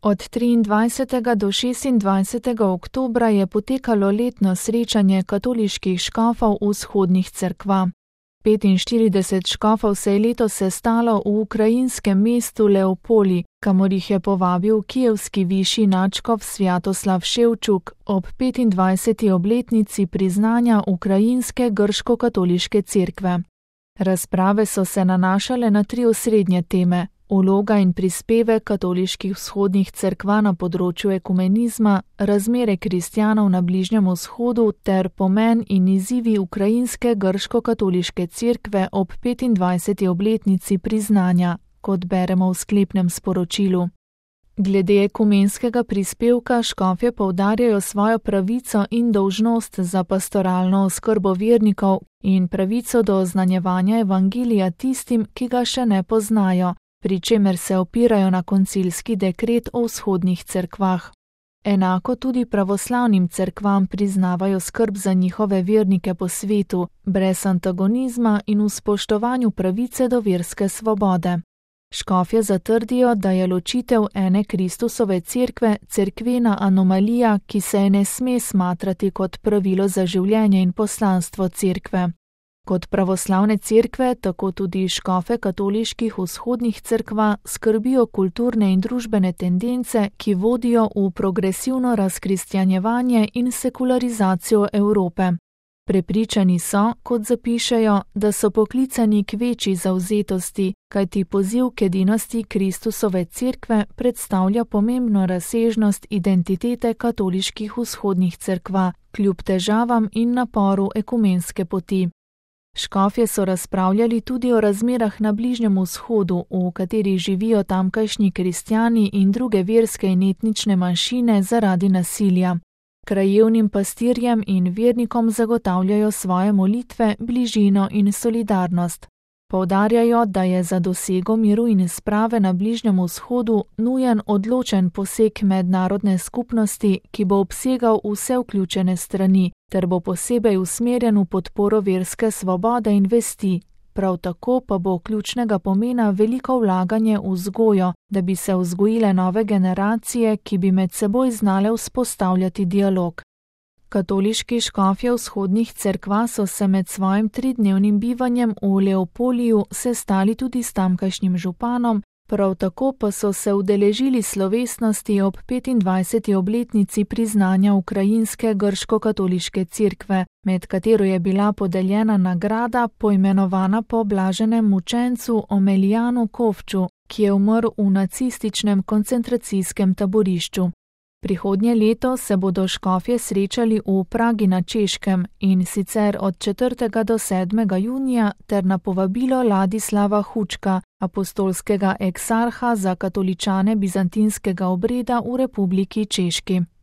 Od 23. do 26. oktobra je potekalo letno srečanje katoliških škofov vzhodnih cerkva. 45 škofov se je letos sestalo v ukrajinskem mestu Leopoli, kamor jih je povabil kijevski višji nadškof Svjatoslav Ševčuk ob 25. obletnici priznanja ukrajinske grško-katoliške cerkve. Razprave so se nanašale na 3 osrednje teme: vloga in prispevek katoliških vzhodnih cerkva na področju ekumenizma, razmere kristjanov na Bližnjem vzhodu ter pomen in izzivi ukrajinske grško-katoliške cerkve ob 25. obletnici priznanja, kot beremo v sklepnem sporočilu. Glede ekumenskega prispevka škofje poudarjajo svojo pravico in dolžnost za pastoralno oskrbo vernikov in pravico do oznanjevanja evangelija tistim, ki ga še ne poznajo, pri čemer se opirajo na koncilski dekret o vzhodnih cerkvah. Enako tudi pravoslavnim cerkvam priznavajo skrb za njihove vernike po svetu, brez antagonizma in v spoštovanju pravice do verske svobode. Škofje zatrdijo, da je ločitev ene Kristusove cerkve cerkvena anomalija, ki se je ne sme smatrati kot pravilo za življenje in poslanstvo cerkve. Kot pravoslavne cerkve, tako tudi škofe katoliških vzhodnih cerkva skrbijo kulturne in družbene tendence, ki vodijo v progresivno razkristjanjevanje in sekularizacijo Evrope. Prepričani so, kot zapišejo, da so poklicani k večji zavzetosti, kajti poziv k edinosti Kristusove cerkve predstavlja pomembno razsežnost identitete katoliških vzhodnih cerkva, kljub težavam in naporu ekumenske poti. Škofje so razpravljali tudi o razmerah na Bližnjem vzhodu, v katerih živijo tamkajšnji kristjani in druge verske in etnične manjšine zaradi nasilja. Krajevnim pastirjem in vernikom zagotavljajo svoje molitve, bližino in solidarnost. Poudarjajo, da je za dosego miru in sprave na Bližnjem vzhodu nujen odločen poseg mednarodne skupnosti, ki bo obsegal vse vključene strani, ter bo posebej usmerjen v podporo verske svobode in vesti. Prav tako pa bo ključnega pomena veliko vlaganje v vzgojo, da bi se vzgojile nove generacije, ki bi med seboj znale vzpostavljati dialog. Katoliški škofje vzhodnih cerkva so se med svojim 3-dnevnim bivanjem v Leopoliju sestali tudi s tamkajšnjim županom, prav tako pa so se udeležili slovesnosti ob 25. obletnici priznanja ukrajinske grško-katoliške cerkve, med katero je bila podeljena nagrada poimenovana po blaženem mučencu Omelijanu Kovču, ki je umrl v nacističnem koncentracijskem taborišču. Prihodnje leto se bodo škofje srečali v Pragi na Češkem, in sicer od 4. do 7. junija ter na povabilo Ladislava Hučka, apostolskega eksarha za katoličane bizantinskega obreda v Republiki Češki.